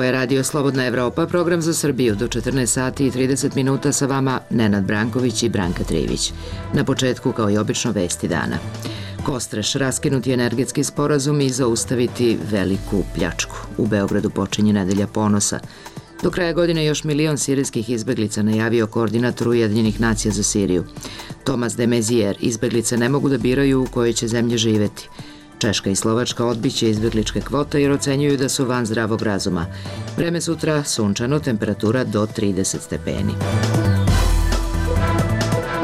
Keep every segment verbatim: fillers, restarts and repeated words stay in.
Ovo je Radio Slobodna Evropa, program za Srbiju do četrnaest sati i trideset minuta sa vama Nenad Branković i Branka Trivić. Na početku, kao i obično, vesti dana. Kostreš, raskinuti energetski sporazum i zaustaviti veliku pljačku. U Beogradu počinje nedelja ponosa. Do kraja godine još milion sirijskih izbeglica najavio koordinator Ujedinjenih nacija za Siriju. Tomas de Mezier, izbeglice ne mogu da biraju u kojoj će zemlje živeti. Češka i Slovačka odbiće izbegličke kvote jer ocenjuju da su van zdravog razuma. Vreme sutra sunčano, temperatura do trideset stepeni.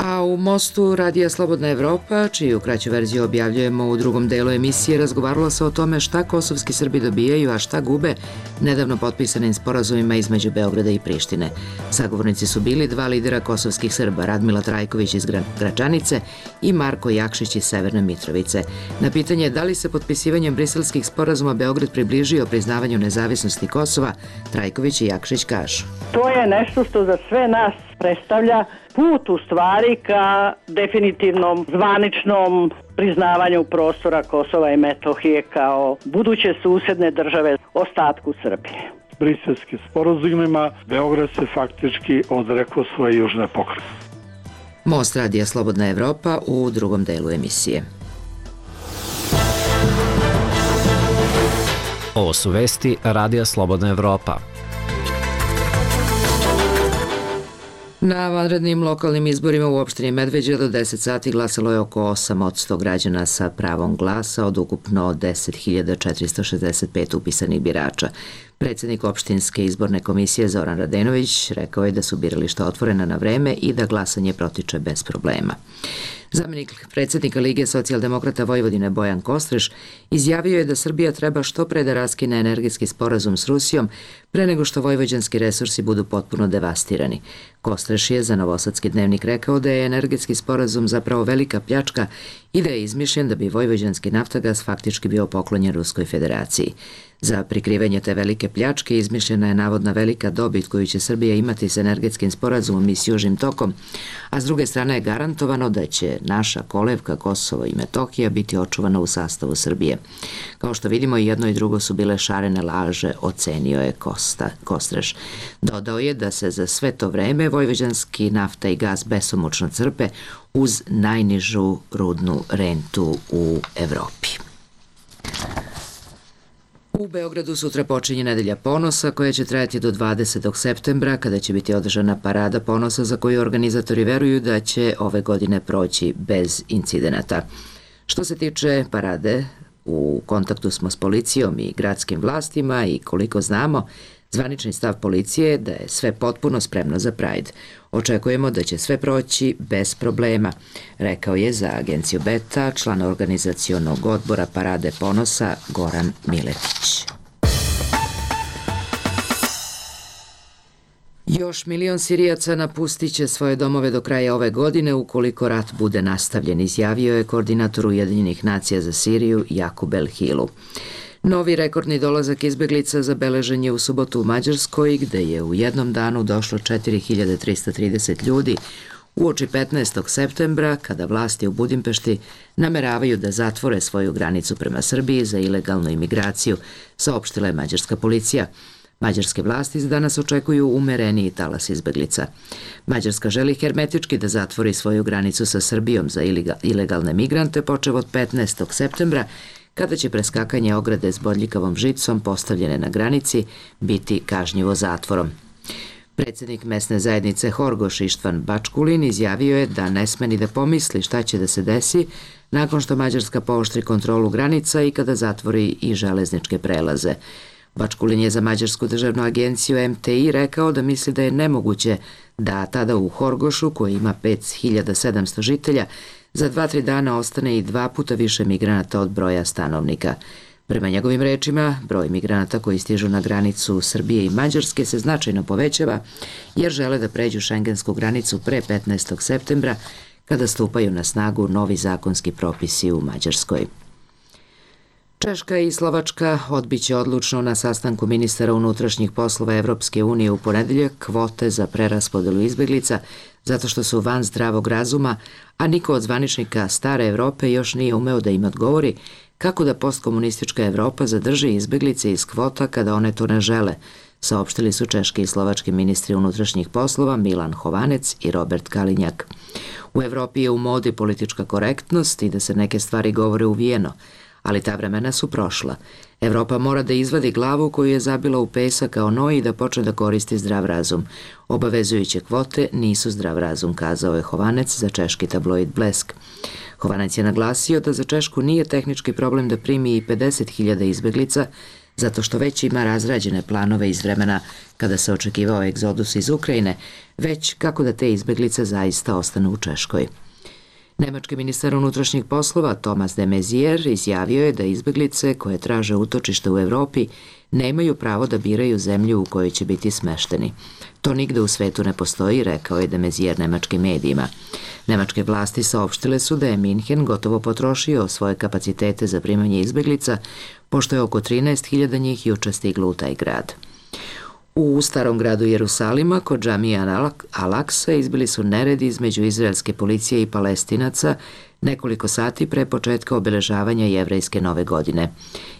A u Mostu Radija Slobodna Evropa, čiju kraću verziju objavljujemo u drugom delu emisije, razgovaralo se o tome šta kosovski Srbi dobijaju, a šta gube nedavno potpisanim sporazumima između Beograda i Prištine. Sagovornici su bili dva lidera kosovskih Srba, Radmila Trajković iz Gračanice i Marko Jakšić iz Severne Mitrovice. Na pitanje da li se potpisivanjem briselskih sporazuma Beograd približio priznavanju nezavisnosti Kosova, Trajković i Jakšić kažu: To je nešto što za sve nas predstavlja put u stvari ka definitivnom zvaničnom priznavanju prostora Kosova i Metohije kao buduće susedne države ostatku Srbije. Briselskim sporazumima Beograd se faktički odrekao svoje južne pokrajine. Most Radija Slobodna Evropa u drugom delu emisije. Ovo su vesti Radija Slobodna Evropa. Na vanrednim lokalnim izborima u opštini Medveđa do deset sati glasalo je oko osam posto građana sa pravom glasa od ukupno deset hiljada četiristo šezdeset pet upisanih birača. Predsjednik opštinske izborne komisije Zoran Radenović rekao je da su birališta otvorena na vreme i da glasanje protiče bez problema. Zamenik predsjednika Lige socijaldemokrata Vojvodine Bojan Kostreš izjavio je da Srbija treba što pre da raskine energetski sporazum s Rusijom pre nego što vojvođanski resursi budu potpuno devastirani. Kostreš je za Novosadski dnevnik rekao da je energetski sporazum zapravo velika pljačka i da je izmišljen da bi vojvođanski naftagas faktički bio poklonjen Ruskoj federaciji. Za prikrivanje te velike pljačke izmišljena je navodna velika dobit koju će Srbija imati s energetskim sporazumom i s Južnim tokom, a s druge strane je garantovano da će naša kolevka Kosovo i Metohija biti očuvana u sastavu Srbije. Kao što vidimo, i jedno i drugo su bile šarene laže, ocenio je Kosta, Kostreš. Dodao je da se za sve to vreme vojvođanski nafta i gas besomučno crpe uz najnižu rudnu rentu u Evropi. U Beogradu sutra počinje nedelja ponosa koja će trajati do dvadesetog septembra kada će biti održana parada ponosa za koju organizatori veruju da će ove godine proći bez incidenata. Što se tiče parade, u kontaktu smo s policijom i gradskim vlastima i koliko znamo, zvanični stav policije je da je sve potpuno spremno za Pride. Očekujemo da će sve proći bez problema, rekao je za agenciju Beta član organizacionog odbora Parade ponosa Goran Miletić. Još milion Sirijaca napustit će svoje domove do kraja ove godine ukoliko rat bude nastavljen, izjavio je koordinator Ujedinjenih nacija za Siriju Jakub El Hilu. Novi rekordni dolazak izbeglica zabeležen je u subotu u Mađarskoj, gde je u jednom danu došlo četiri hiljade trista trideset ljudi, uoči petnaestog septembra, kada vlasti u Budimpešti nameravaju da zatvore svoju granicu prema Srbiji za ilegalnu imigraciju, saopštila je mađarska policija. Mađarske vlasti za danas očekuju umereniji talas izbeglica. Mađarska želi hermetički da zatvori svoju granicu sa Srbijom za ilegalne migrante počev od petnaestog septembra, kada će preskakanje ograde s bodljikavom žicom postavljene na granici biti kažnjivo zatvorom. Predsjednik mesne zajednice Horgoš Ištvan Bačkulin izjavio je da ne sme ni da pomisli šta će da se desi nakon što Mađarska pooštri kontrolu granica i kada zatvori i železničke prelaze. Bačkulin je za Mađarsku državnu agenciju M T I rekao da misli da je nemoguće da tada u Horgošu, koji ima pet hiljada sedamsto žitelja, za dva, tri dana ostane i dva puta više migranata od broja stanovnika. Prema njegovim rečima, broj migranata koji stižu na granicu Srbije i Mađarske se značajno povećava jer žele da pređu šengensku granicu pre petnaestog septembra kada stupaju na snagu novi zakonski propisi u Mađarskoj. Češka i Slovačka odbiće odlučno na sastanku ministara unutrašnjih poslova Evropske unije u ponedeljak kvote za preraspodelu izbeglica zato što su van zdravog razuma, a niko od zvaničnika stare Evrope još nije umeo da im odgovori kako da postkomunistička Evropa zadrži izbeglice iz kvota kada one to ne žele, saopštili su češki i slovački ministri unutrašnjih poslova Milan Chovanec i Robert Kalinjak. U Evropi je u modi politička korektnost i da se neke stvari govore uvijeno, ali ta vremena su prošla. Evropa mora da izvadi glavu koju je zabila u pesak kao noj i da počne da koristi zdrav razum. Obavezujuće kvote nisu zdrav razum, kazao je Chovanec za češki tabloid Blesk. Chovanec je naglasio da za Češku nije tehnički problem da primi i pedeset hiljada izbeglica, zato što već ima razrađene planove iz vremena kada se očekivao egzodus iz Ukrajine, već kako da te izbeglice zaista ostanu u Češkoj. Nemački ministar unutrašnjih poslova Thomas de Maizière izjavio je da izbeglice koje traže utočište u Evropi nemaju pravo da biraju zemlju u kojoj će biti smešteni. To nigde u svetu ne postoji, rekao je de Maizière nemačkim medijima. Nemačke vlasti saopštile su da je Minhen gotovo potrošio svoje kapacitete za primanje izbeglica, pošto je oko trinaest hiljada njih juče stiglo u taj grad. U starom gradu Jerusalima, kod džamija Al-Aksa, izbili su neredi između izraelske policije i Palestinaca nekoliko sati pre početka obeležavanja jevrejske nove godine.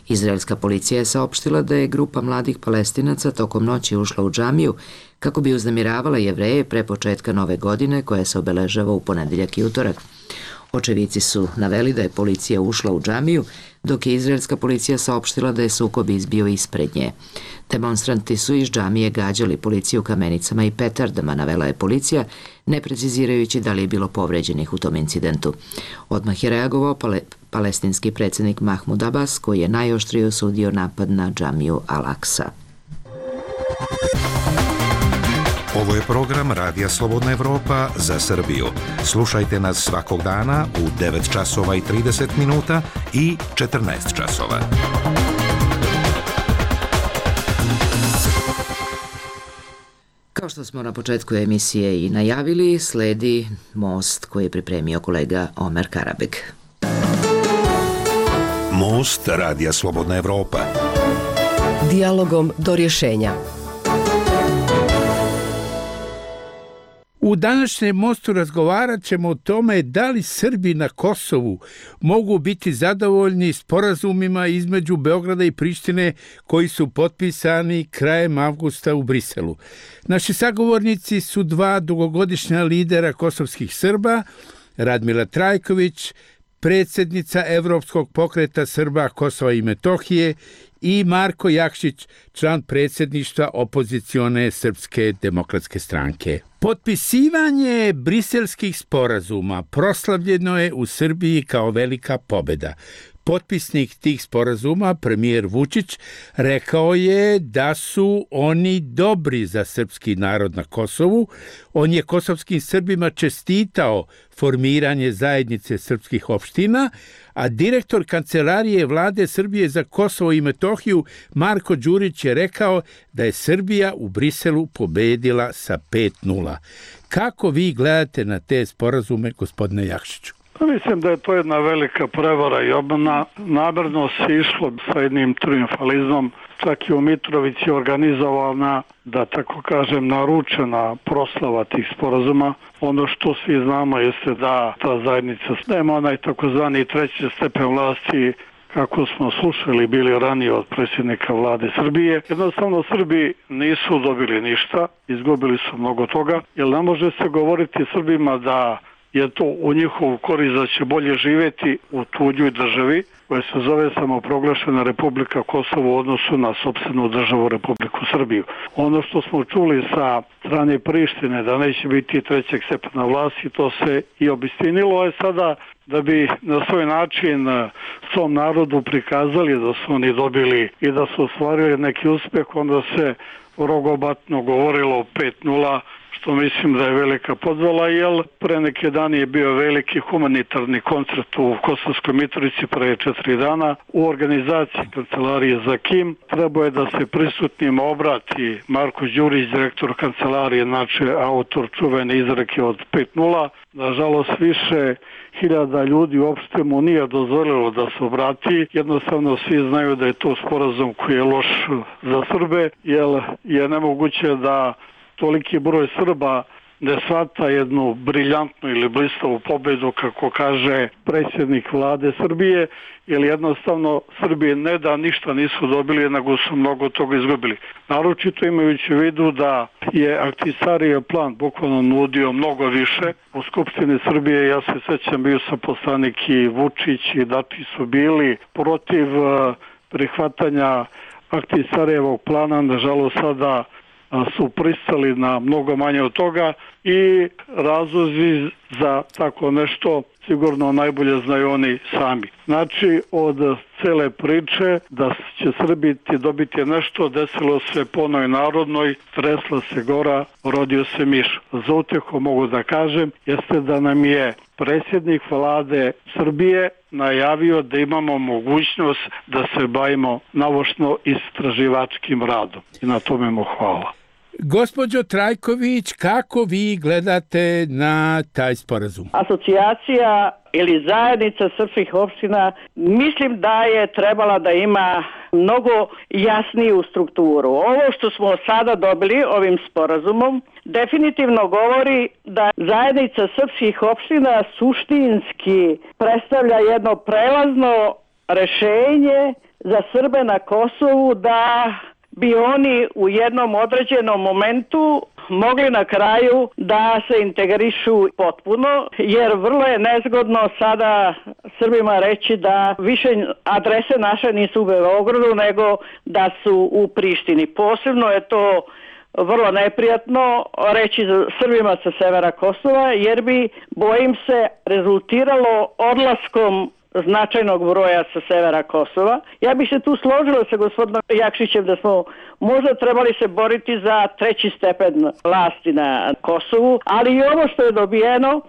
Izraelska policija je saopštila da je grupa mladih Palestinaca tokom noći ušla u džamiju kako bi uznemiravala Jevreje pre početka nove godine koja se obeležava u ponedeljak i utorak. Očevici su naveli da je policija ušla u džamiju, dok je izraelska policija saopštila da je sukob izbio ispred nje. Demonstranti su iz džamije gađali policiju kamenicama i petardama, navela je policija, ne precizirajući da li je bilo povređenih u tom incidentu. Odmah je reagovao pale, palestinski predsjednik Mahmud Abbas, koji je najoštrije osudio napad na džamiju Al-Aksa. Ovo je program Radija Slobodna Evropa za Srbiju. Slušajte nas svakog dana u devet časova i trideset minuta i četrnaest časova. Kao što smo na početku emisije i najavili, sledi Most koji je pripremio kolega Omer Karabeg. Most Radija Slobodna Evropa. Dijalogom do rješenja. U današnjem Mostu razgovarat ćemo o tome da li Srbi na Kosovu mogu biti zadovoljni sporazumima između Beograda i Prištine koji su potpisani krajem avgusta u Briselu. Naši sagovornici su dva dugogodišnja lidera kosovskih Srba, Radmila Trajković, predsjednica Evropskog pokreta Srba Kosova i Metohije, i Marko Jakšić, član predsjedništva opozicione Srpske demokratske stranke. Potpisivanje briselskih sporazuma proslavljeno je u Srbiji kao velika pobjeda. Potpisnik tih sporazuma, premijer Vučić, rekao je da su oni dobri za srpski narod na Kosovu. On je kosovskim Srbima čestitao formiranje zajednice srpskih opština, a direktor Kancelarije Vlade Srbije za Kosovo i Metohiju Marko Đurić je rekao da je Srbija u Briselu pobedila sa pet nula. Kako vi gledate na te sporazume, gospodine Jakšiću? Mislim da je to jedna velika prevara i obmana. Namerno se išlo sa jednim triumfalizmom, čak i u Mitrovici organizovana, da tako kažem, naručena proslava tih sporazuma. Ono što svi znamo jeste da ta zajednica nema onaj takozvani treći stepen vlasti, kako smo slušali bili ranije od predsjednika vlade Srbije. Jednostavno Srbi nisu dobili ništa, izgubili su mnogo toga, jer ne može se govoriti Srbima da je to u njihovu korist da će bolje živjeti u tuđoj državi koja se zove samoproglašena Republika Kosovo u odnosu na sopstvenu državu Republiku Srbiju. Ono što smo čuli sa strane Prištine da neće biti trećeg stepena vlasti, to se i obistinilo, je sada da bi na svoj način svom narodu prikazali da su oni dobili i da su ostvarili neki uspjeh, onda se rogobatno govorilo o pet nula, što mislim da je velika podvala, jer pre neke dani je bio veliki humanitarni koncert u Kosovskoj Mitrovici pre četiri dana u organizaciji Kancelarije za Kim. Trebao je da se prisutnima obrati Marko Đurić, direktor Kancelarije, znači autor čuvene izreke od pet nula. Nažalost, više hiljada ljudi uopšte mu nije dozvolilo da se obrati. Jednostavno svi znaju da je to sporazum koji je loš za Srbe, jer je nemoguće da toliki broj Srba ne shvata jednu briljantnu ili blistavu pobedu, kako kaže predsjednik vlade Srbije, jer jednostavno Srbije ne da ništa nisu dobili, nego su mnogo toga izgubili. Naročito imajući u vidu da je Ahtisarijev plan bukvalno nudio mnogo više. U Skupštini Srbije, ja se sećam, bio sam poslanik i Vučić i Dačić su bili protiv prihvatanja Ahtisarijevog plana, nažalost sada su pristali na mnogo manje od toga i razlozi za tako nešto sigurno najbolje znaju oni sami. Znači, od cele priče da će Srbi dobiti nešto, desilo se po onoj narodnoj, tresla se gora, rodio se miš. Za utjehu mogu da kažem, jeste da nam je predsjednik vlade Srbije najavio da imamo mogućnost da se bavimo naučno istraživačkim radom. I na tome mu hvala. Gospođo Trajković, kako vi gledate na taj sporazum? Asocijacija ili zajednica srpskih opština mislim da je trebala da ima mnogo jasniju strukturu. Ovo što smo sada dobili ovim sporazumom definitivno govori da zajednica srpskih opština suštinski predstavlja jedno prelazno rešenje za Srbe na Kosovu, da bi oni u jednom određenom momentu mogli na kraju da se integrišu potpuno, jer vrlo je nezgodno sada Srbima reći da više adrese naše nisu u Beogradu, nego da su u Prištini. Posebno je to vrlo neprijatno reći Srbima sa severa Kosova, jer bi, bojim se, rezultiralo odlaskom značajnog broja sa severa Kosova. Ja bih se tu složila sa gospodinom Jakšićem da smo možda trebali se boriti za treći stepen vlasti na Kosovu, ali i ovo što je dobijeno,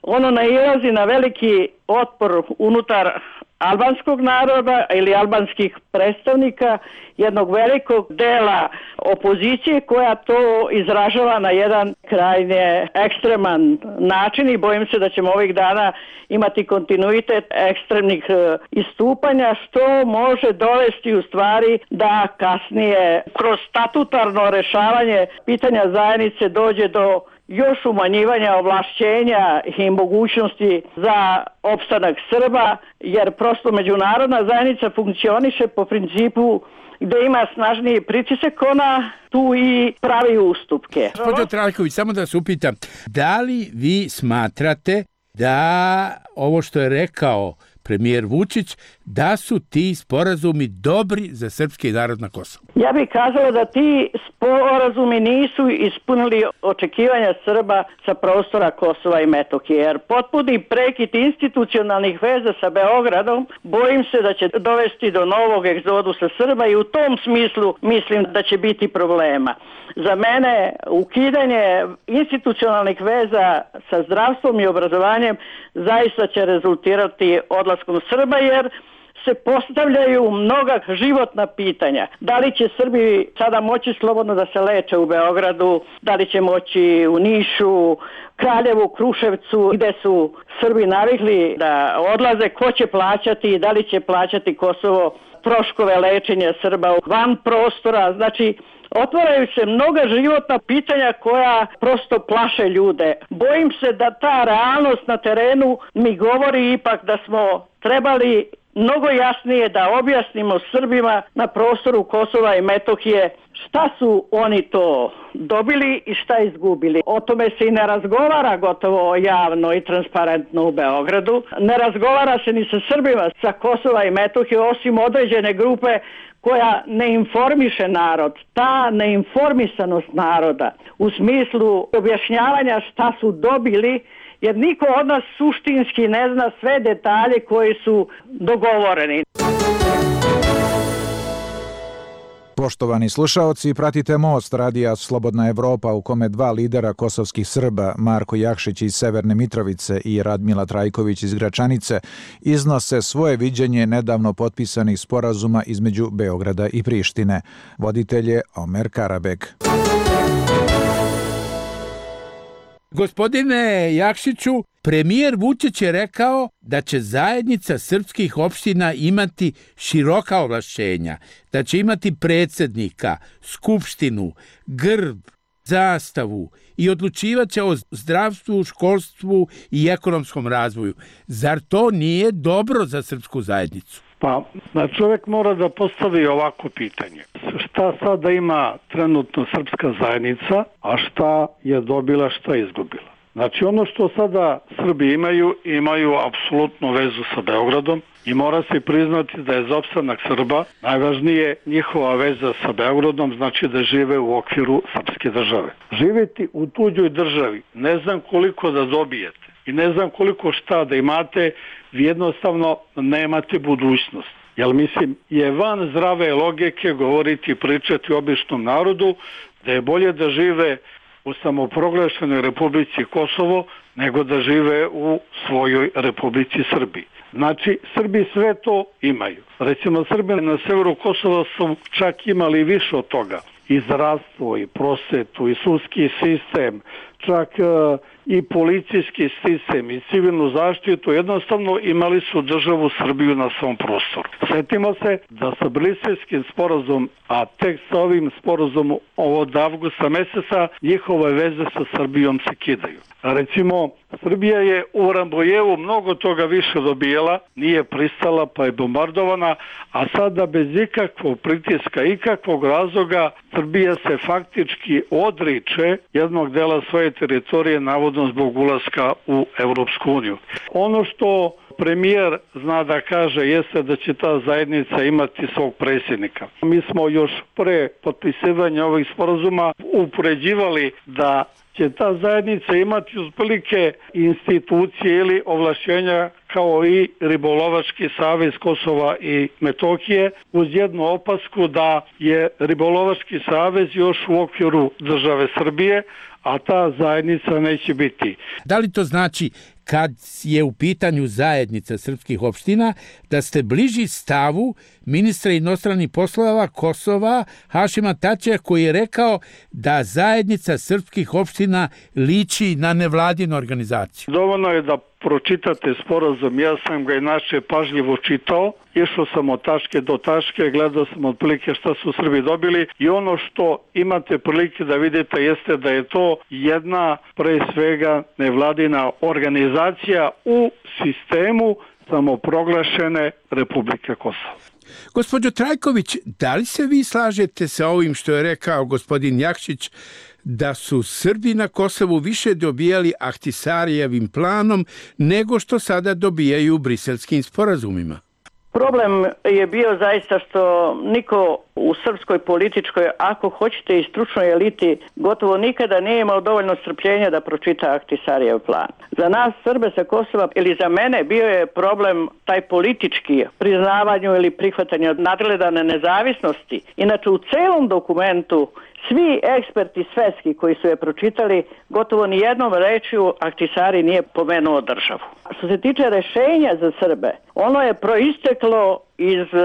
ono nailazi na veliki otpor unutar albanskog naroda ili albanskih predstavnika, jednog velikog dela opozicije koja to izražava na jedan krajnje ekstreman način i bojim se da ćemo ovih dana imati kontinuitet ekstremnih istupanja, što može dovesti u stvari da kasnije kroz statutarno rešavanje pitanja zajednice dođe do još umanjivanja ovlašćenja i mogućnosti za opstanak Srba, jer prosto međunarodna zajednica funkcioniše po principu gde ima snažniji pritisak, ona tu i pravi ustupke. Gospodin Trajković, samo da se upitam, da li vi smatrate da ovo što je rekao premijer Vučić, da su ti sporazumi dobri za srpski narod na Kosovu? Ja bih kazala da ti sporazumi nisu ispunili očekivanja Srba sa prostora Kosova i Metohije, jer potpuni prekid institucionalnih veza sa Beogradom, bojim se da će dovesti do novog egzodusa Srba i u tom smislu mislim da će biti problema. Za mene ukidanje institucionalnih veza sa zdravstvom i obrazovanjem zaista će rezultirati odlaskom Srba, jer se postavljaju mnoga životna pitanja. Da li će Srbi sada moći slobodno da se leče u Beogradu, da li će moći u Nišu, Kraljevu, Kruševcu, gde su Srbi navikli da odlaze, ko će plaćati, da li će plaćati Kosovo troškove lečenja Srba van prostora, znači otvaraju se mnoga životna pitanja koja prosto plaše ljude. Bojim se da ta realnost na terenu mi govori ipak da smo trebali mnogo jasnije da objasnimo Srbima na prostoru Kosova i Metohije šta su oni to dobili i šta izgubili. O tome se i ne razgovara gotovo javno i transparentno u Beogradu. Ne razgovara se ni sa Srbima sa Kosova i Metohije, osim određene grupe koja ne informiše narod. Ta neinformisanost naroda u smislu objašnjavanja šta su dobili, jer niko od nas suštinski ne zna sve detalje koji su dogovoreni. Poštovani slušaoci, pratite Most radija Slobodna Evropa u kome dva lidera kosovskih Srba, Marko Jakšić iz Severne Mitrovice i Radmila Trajković iz Gračanice, iznose svoje viđenje nedavno potpisanih sporazuma između Beograda i Prištine. Voditelj je Omer Karabek. Gospodine Jakšiću, premijer Vučić je rekao da će zajednica srpskih opština imati široka ovlašćenja, da će imati predsjednika, skupštinu, grb, zastavu i odlučivaće o zdravstvu, školstvu i ekonomskom razvoju. Zar to nije dobro za srpsku zajednicu? Pa, čovjek mora da postavi ovako pitanje. Šta sada ima trenutno srpska zajednica, a šta je dobila, šta je izgubila? Znači, ono što sada Srbi imaju, imaju apsolutnu vezu sa Beogradom i mora se priznati da je za opstanak Srba najvažnije njihova veza sa Beogradom, znači da žive u okviru srpske države. Živjeti u tuđoj državi, ne znam koliko da dobijete i ne znam koliko šta da imate, vi jednostavno nemate budućnost. Jer mislim, je van zdrave logike govoriti i pričati običnom narodu da je bolje da žive u samoproglašenoj Republici Kosovo nego da žive u svojoj Republici Srbiji. Znači, Srbi sve to imaju. Recimo, Srbi na severu Kosova su čak imali više od toga. I zdravstvo, i prosvetu, i sudski sistem, čak uh, i policijski sistem, i civilnu zaštitu. Jednostavno imali su državu Srbiju na svom prostoru. Sjetimo se da sa Briselskim sporazum, a tek sa ovim sporazumom od avgusta meseca, njihove veze sa Srbijom se kidaju. Recimo, Srbija je u Rambojevu mnogo toga više dobijela, nije pristala pa je bombardovana, a sada bez ikakvog pritiska, ikakvog razloga, Srbija se faktički odriče jednog dela svoje teritorije, navodno zbog ulaska u Evropsku uniju. Ono što premijer zna da kaže jeste da će ta zajednica imati svog predsjednika. Mi smo još pre potpisivanja ovih sporazuma upoređivali da će ta zajednica imati otprilike institucije ili ovlašćenja kao i Ribolovački savez Kosova i Metohije, uz jednu opasku da je Ribolovački savez još u okviru države Srbije, a ta zajednica neće biti. Da li to znači, kad je u pitanju zajednica srpskih opština, da ste bliži stavu ministra inostranih poslova Kosova Hašima Tačija, koji je rekao da zajednica srpskih opština liči na nevladinu organizaciju? Dovoljno je da pročitate sporazum, ja sam ga inače pažljivo čitao, išao sam od tačke do tačke, gledao sam otprilike šta su Srbi dobili i ono što imate prilike da vidite jeste da je to jedna pre svega nevladina organizacija u sistemu samoproglašene Republike Kosovo. Gospođo Trajković, da li se vi slažete sa ovim što je rekao gospodin Jakšić, da su Srbi na Kosovu više dobijali Ahtisarijevim planom nego što sada dobijaju briselskim sporazumima? Problem je bio zaista što niko u srpskoj političkoj, ako hoćete i stručnoj eliti, gotovo nikada nije imao dovoljno strpljenja da pročita Ahtisarijev plan. Za nas Srbe sa Kosova, ili za mene, bio je problem taj politički, priznavanju ili prihvatanju nadgledane nezavisnosti. Inače, u celom dokumentu svi eksperti svetski koji su je pročitali, gotovo ni jednom rečju Ahtisari nije pomenuo državu. Što se tiče rešenja za Srbe, ono je proisteklo iz uh,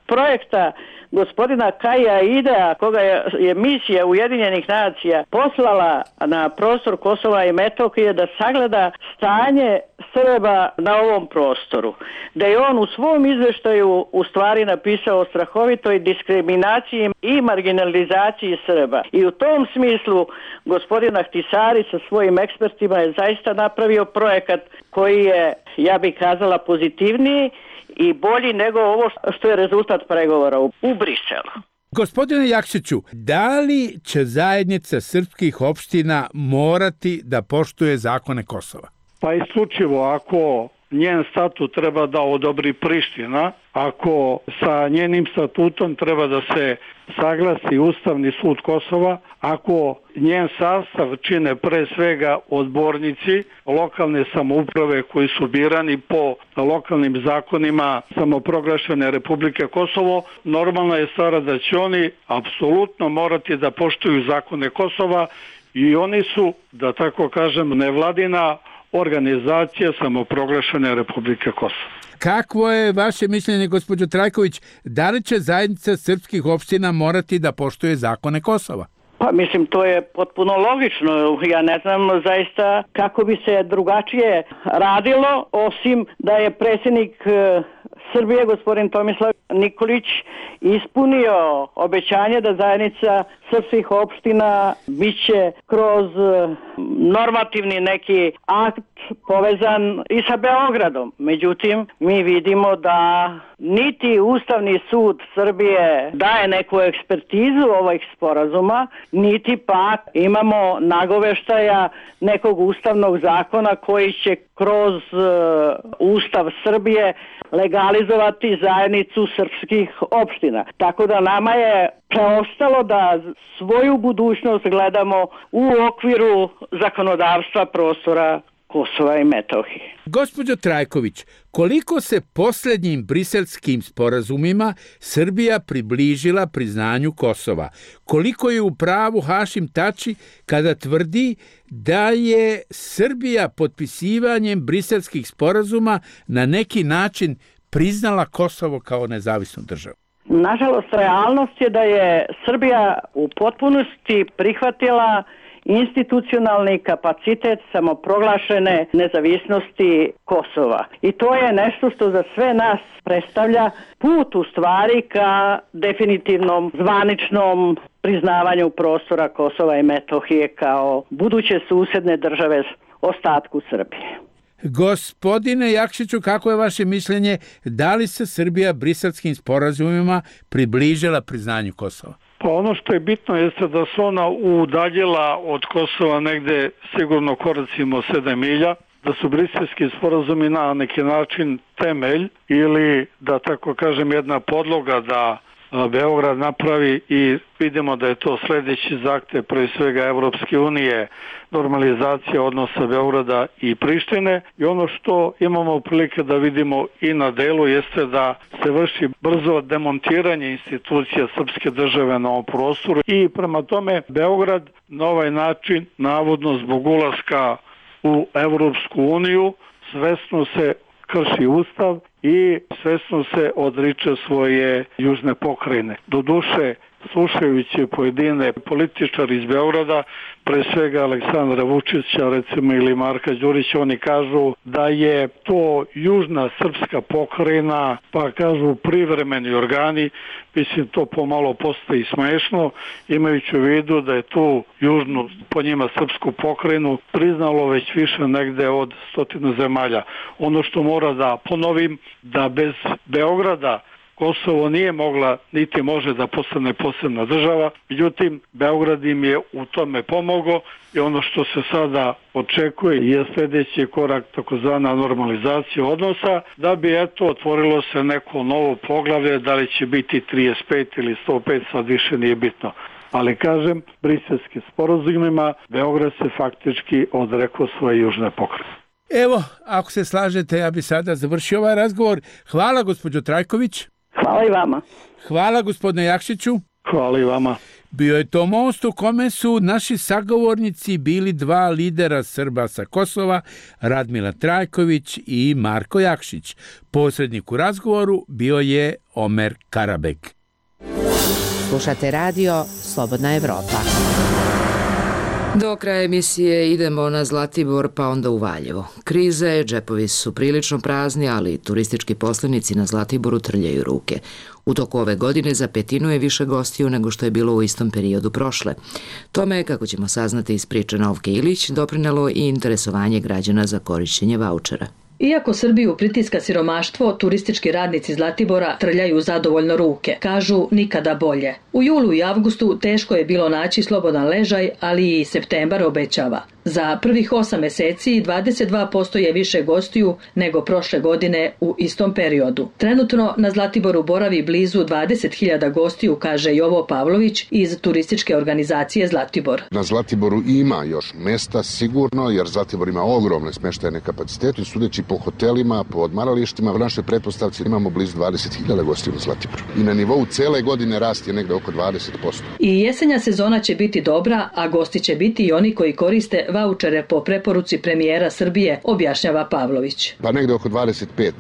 projekta gospodina Kaja Idea, koga je, je misija Ujedinjenih nacija poslala na prostor Kosova i Metohije da sagleda stanje Srba na ovom prostoru. Da je on u svom izveštaju u stvari napisao o strahovitoj diskriminaciji i marginalizaciji Srba. I u tom smislu gospodin Ahtisari sa svojim ekspertima je zaista napravio projekat koji je, ja bih kazala, pozitivniji i bolji nego ovo što je rezultat pregovora u, u Briselu. Gospodine Jakšiću, da li će zajednica srpskih opština morati da poštuje zakone Kosova? Pa isključivo ako njen statut treba da odobri Priština, ako sa njenim statutom treba da se saglasi Ustavni sud Kosova, ako njen sastav čine pre svega odbornici lokalne samouprave koji su birani po lokalnim zakonima samoproglašene Republike Kosovo, normalna je stvar da će oni apsolutno morati da poštuju zakone Kosova i oni su, da tako kažem, nevladina organizacija samoproglašene Republike Kosovo. Kakvo je vaše mišljenje, gospođo Trajković, da li će zajednica srpskih opština morati da poštuje zakone Kosova? Pa mislim, to je potpuno logično. Ja ne znam zaista kako bi se drugačije radilo, osim da je predsjednik Srbije, gospodin Tomislav Nikolić, ispunio obećanje da zajednica srpskih opština biće kroz normativni neki akt povezan i sa Beogradom. Međutim, mi vidimo da niti Ustavni sud Srbije daje neku ekspertizu ovih sporazuma, niti pak imamo nagoveštaja nekog ustavnog zakona koji će kroz uh, Ustav Srbije legalizovati zajednicu srpskih opština. Tako da nama je preostalo da svoju budućnost gledamo u okviru zakonodavstva prostora Kosova i Metohije. Gospođo Trajković, koliko se posljednjim briselskim sporazumima Srbija približila priznanju Kosova? Koliko je u pravu Hašim Tači kada tvrdi da je Srbija potpisivanjem briselskih sporazuma na neki način priznala Kosovo kao nezavisnu državu? Nažalost, realnost je da je Srbija u potpunosti prihvatila institucionalni kapacitet samoproglašene nezavisnosti Kosova. I to je nešto što za sve nas predstavlja put u stvari ka definitivnom zvaničnom priznavanju prostora Kosova i Metohije kao buduće susedne države ostatku Srbije. Gospodine Jakšiću, kako je vaše mišljenje, da li se Srbija briselskim sporazumima približila priznanju Kosova? Pa ono što je bitno jeste da se ona udaljila od Kosova negde sigurno koracimo sedam milja, da su briselski sporazumi na neki način temelj ili da tako kažem jedna podloga da Beograd napravi i vidimo da je to sljedeći zahtev pre svega Evropske unije, normalizacija odnosa Beograda i Prištine i ono što imamo prilike da vidimo i na delu jeste da se vrši brzo demontiranje institucija srpske države na ovom prostoru i prema tome Beograd na ovaj način navodno zbog ulaska u Evropsku uniju svesno se krši ustav i svesno se odriče svoje južne pokrajine. Doduše, slušajući pojedine političari iz Beograda, pre svega Aleksandra Vučića, recimo ili Marka Đurića, oni kažu da je to južna srpska pokrajina, pa kažu privremeni organi, mislim to pomalo postaje smešno, imajući u vidu da je tu južnu, po njima srpsku pokrajinu, priznalo već više negde od stotinu zemalja. Ono što mora da ponovim, da bez Beograda Kosovo nije mogla, niti može da postane posebna država, međutim, Beograd im je u tome pomogao i ono što se sada očekuje je sljedeći korak takozvana normalizacija odnosa, da bi eto otvorilo se neko novo poglavlje, da li će biti trideset pet ili sto pet, sad više nije bitno. Ali kažem, briselskim sporazumima Beograd se faktički odrekao svoje južne pokrajine. Evo, ako se slažete, ja bi sada završio ovaj razgovor. Hvala, gospođo Trajković. Hvala i vama. Hvala, gospodine Jakšiću. Hvala i vama. Bio je to most u kome su naši sagovornici bili dva lidera Srba sa Kosova, Radmila Trajković i Marko Jakšić. Posrednik u razgovoru bio je Omer Karabek. Slušate radio Slobodna Evropa. Do kraja emisije idemo na Zlatibor pa onda u Valjevo. Kriza je, džepovi su prilično prazni, ali turistički poslenici na Zlatiboru trljaju ruke. U toku ove godine za petinu je više gostiju nego što je bilo u istom periodu prošle. Tome je, kako ćemo saznati iz priče Novke Ilić, doprinelo i interesovanje građana za korišćenje vaučera. Iako Srbiju pritiska siromaštvo, turistički radnici Zlatibora trljaju zadovoljno ruke. Kažu nikada bolje. U julu i avgustu teško je bilo naći slobodan ležaj, ali i septembar obećava. Za prvih osam meseci dvadeset dva posto je više gostiju nego prošle godine u istom periodu. Trenutno na Zlatiboru boravi blizu dvadeset hiljada gostiju, kaže Jovo Pavlović iz turističke organizacije Zlatibor. Na Zlatiboru ima još mesta sigurno, jer Zlatibor ima ogromne smeštajne kapacitete. Sudeći po hotelima, po odmaralištima, u našoj pretpostavci imamo blizu dvadeset hiljada gostiju na Zlatiboru. I na nivou cele godine rast je negde oko dvadeset posto. I jesenja sezona će biti dobra, a gosti će biti i oni koji koriste vaučere po preporuci premijera Srbije, objašnjava Pavlović. Pa negde oko dvadeset pet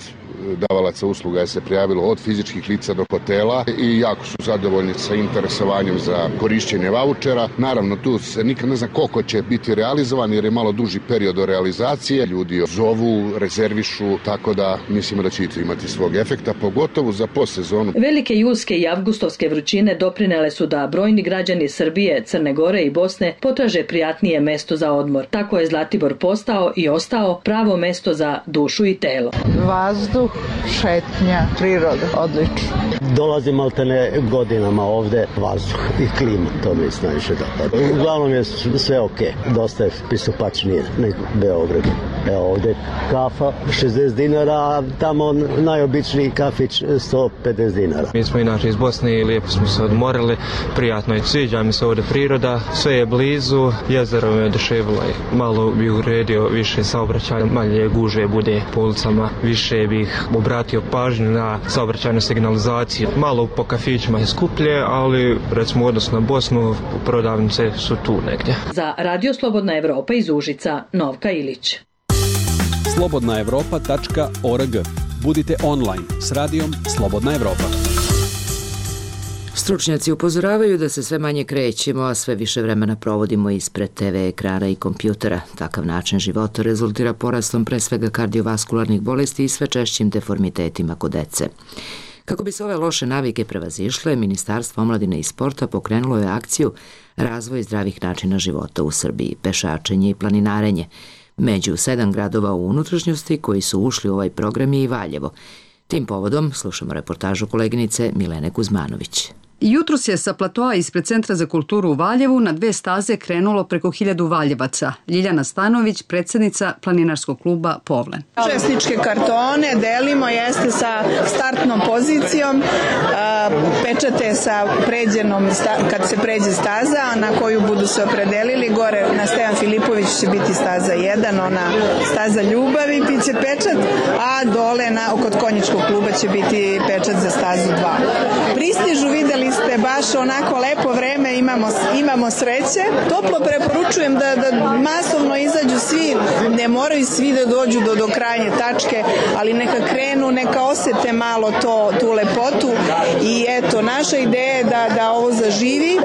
davalaca usluga je se prijavilo od fizičkih lica do hotela i jako su zadovoljni sa interesovanjem za korišćenje vaučera. Naravno, tu se nikad ne zna koliko će biti realizovan jer je malo duži period do realizacije. Ljudi zovu, rezervišu, tako da mislimo da će imati svog efekta, pogotovo za postsezonu. Velike julske i avgustovske vrućine doprinele su da brojni građani Srbije, Crne Gore i Bosne potraže prijatnije mesto za odmor. Tako je Zlatibor postao i ostao pravo mesto za dušu i telo. Vazduh, šetnja, priroda, odlično. Dolazim maltene godinama ovde, vazduh i klima, to mi je najviše dopada. Uglavnom je sve ok, dosta je pristupačnije nego Beograd. Evo ovde kafa šezdeset dinara, a tamo najobičniji kafić sto pedeset dinara. Mi smo inače iz Bosne i lijepo smo se odmorili, prijatno je, sviđa mi se ovde priroda, sve je blizu, jezero me oduševilo i malo bih uredio više saobraćaja, manje guže bude po ulicama, više bih obratio pažnju na saobraćajnu signalizaciju. Malo po kafićima je skuplje, ali recimo u odnosu na Bosnu prodavnice su tu negdje. Za Radio Slobodna Evropa iz Užica, Novka Ilić. slobodna evropa tačka org. Budite online s radijom Slobodna Evropa. Stručnjaci upozoravaju da se sve manje krećemo, a sve više vremena provodimo ispred te ve ekrana i kompjutera. Takav način života rezultira porastom pre svega kardiovaskularnih bolesti i sve češćim deformitetima kod dece. Kako bi se ove loše navike prevazišle, Ministarstvo omladine i sporta pokrenulo je akciju Razvoj zdravih načina života u Srbiji, pešačenje i planinarenje. Među sedam gradova u unutrašnjosti koji su ušli u ovaj program je i Valjevo. Tim povodom slušamo reportažu koleginice Milene Kuzmanović. Jutros je sa platoa ispred Centra za kulturu u Valjevu na dve staze krenulo preko hiljadu Valjevaca. Ljiljana Stanović, predsjednica planinarskog kluba Povlen. Učesničke kartone delimo jeste sa startnom pozicijom, pečate sa pređenom, kad se pređe staza na koju budu se opredelili. Gore na Stevan Filipović će biti staza jedan, ona staza ljubavi, biće pečat, a dole na, kod konjičkog kluba će biti pečat za stazu dva. Pristižu, videli ste baš onako lepo vreme, imamo, imamo sreće. Toplo preporučujem da, da masovno izađu svi, ne moraju svi da dođu do, do krajnje tačke, ali neka krenu, neka osete malo to, tu lepotu i eto, naša ideja je da, da ovo zaživi,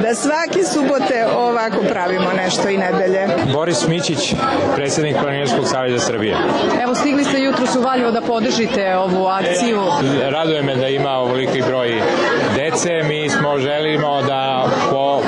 da svake subote ovako pravimo nešto i nedelje. Boris Mićić, predsjednik Planinarskog saveza Srbije. Evo, stigli ste jutros u Valjevo da podržite ovu akciju. Raduje me da ima ovoliki broj dece. Mi smo želimo da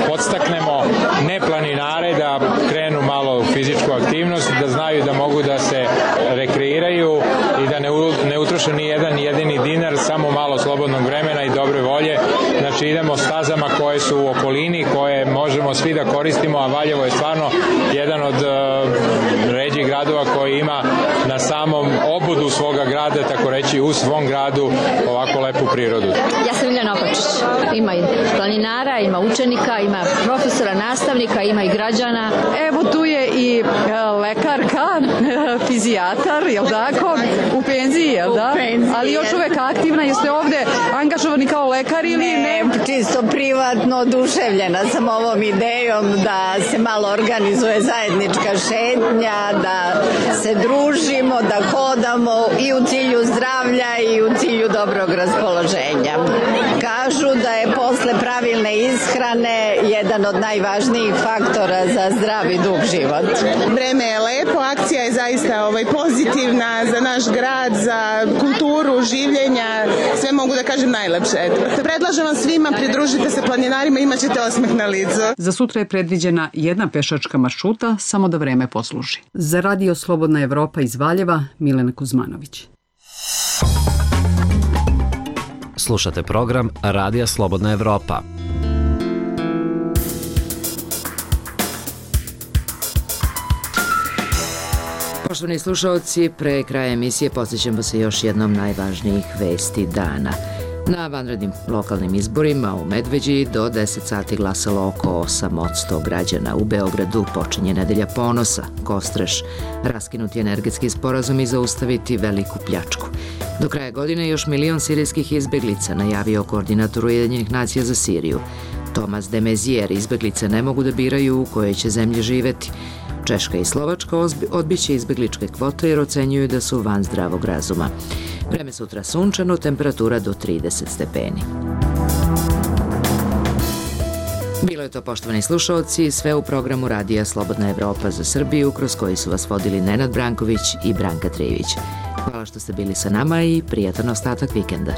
podstaknemo ne planinare da krenu malo u fizičku aktivnost, da znaju da mogu da se rekreiraju i da ne, ne utroše ni jedan jedini dinar, samo malo slobodnog vremena i dobre volje. Znači idemo stazama koje su u okolini, koje možemo svi da koristimo, a Valjevo je stvarno jedan od uh, ređih gradova koji ima na samom obodu svoga grada, tako reći u svom gradu, ovako lepu prirodu. Ja sam Miljana Opačić. Ima i planinara, ima učenika, ima profesora, nastavnika, ima i građana. Evo tu je i lekarka, fizijatar, jel tako? U penziji, jel da? Ali još uvek aktivna, jeste ovde angažovani kao lekar ili ne? Ne, čisto privatno oduševljena sam ovom idejom da se malo organizuje zajednička šetnja, da se družimo, da hodamo i u cilju zdravlja i u cilju dobrog raspoloženja. Kažu da je posle pravilne ishrane jedan od najvažnijih faktora za zdrav i dug život. Vreme je lepo, akcija je zaista ovaj, pozitivna za naš grad, za kulturu, življenja, sve mogu da kažem najlepše. Predlažem vam svima, pridružite se planinarima, imat ćete osmeh na licu. Za sutra je predviđena jedna pešačka maršruta, samo da vreme posluži. Za Radio Slobodna Evropa iz Valjeva, Milena Kuzmanović. Slušate program Radija Slobodna Evropa. Poštovani slušalci, pre kraja emisije podsjećamo se još jednom najvažnijih vesti dana. Na vanrednim lokalnim izborima u Medveđi do deset sati glasalo oko osam posto građana. U Beogradu počinje nedelja ponosa, Kostreš, raskinuti energetski sporazum i zaustaviti veliku pljačku. Do kraja godine još milion sirijskih izbeglica, najavio koordinator Ujedinjenih nacija za Siriju. Tomas de Maizière, izbeglice ne mogu da biraju u kojoj će zemlji živeti. Češka i Slovačka odbiće izbegličke kvote jer ocenjuju da su van zdravog razuma. Vreme sutra sunčano, temperatura do trideset stepeni. Bilo je to, poštovani slušaoci, sve u programu Radija Slobodna Evropa za Srbiju, kroz koji su vas vodili Nenad Branković i Branka Trijević. Hvala što ste bili sa nama i prijatan ostatak vikenda.